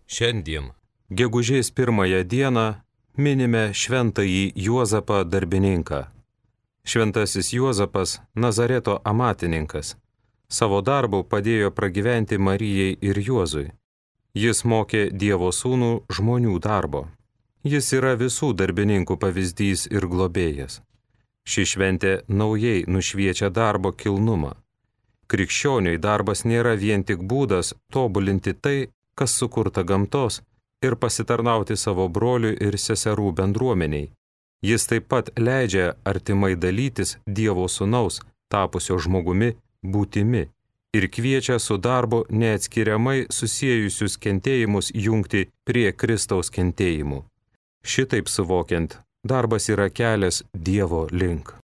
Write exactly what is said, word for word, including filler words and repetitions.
Šiandien, gegužės pirmąją dieną, minime šventąjį Juozapą darbininką. Šventasis Juozapas, Nazareto amatininkas, savo darbu padėjo pragyventi Marijai ir Juozui. Jis mokė Dievo sūnų žmonių darbo. Jis yra visų darbininkų pavyzdys ir globėjas. Ši šventė naujai nušviečia darbo kilnumą. Krikščioniui darbas nėra vien tik būdas tobulinti tai, kas sukurta gamtos, ir pasitarnauti savo brolių ir seserų bendruomeniai. Jis taip pat leidžia artimai dalytis Dievo sūnaus, tapusio žmogumi, būtimi, ir kviečia su darbu neatskiriamai susiejusius kentėjimus jungti prie Kristaus kentėjimų. Šitaip suvokiant, darbas yra kelias Dievo link.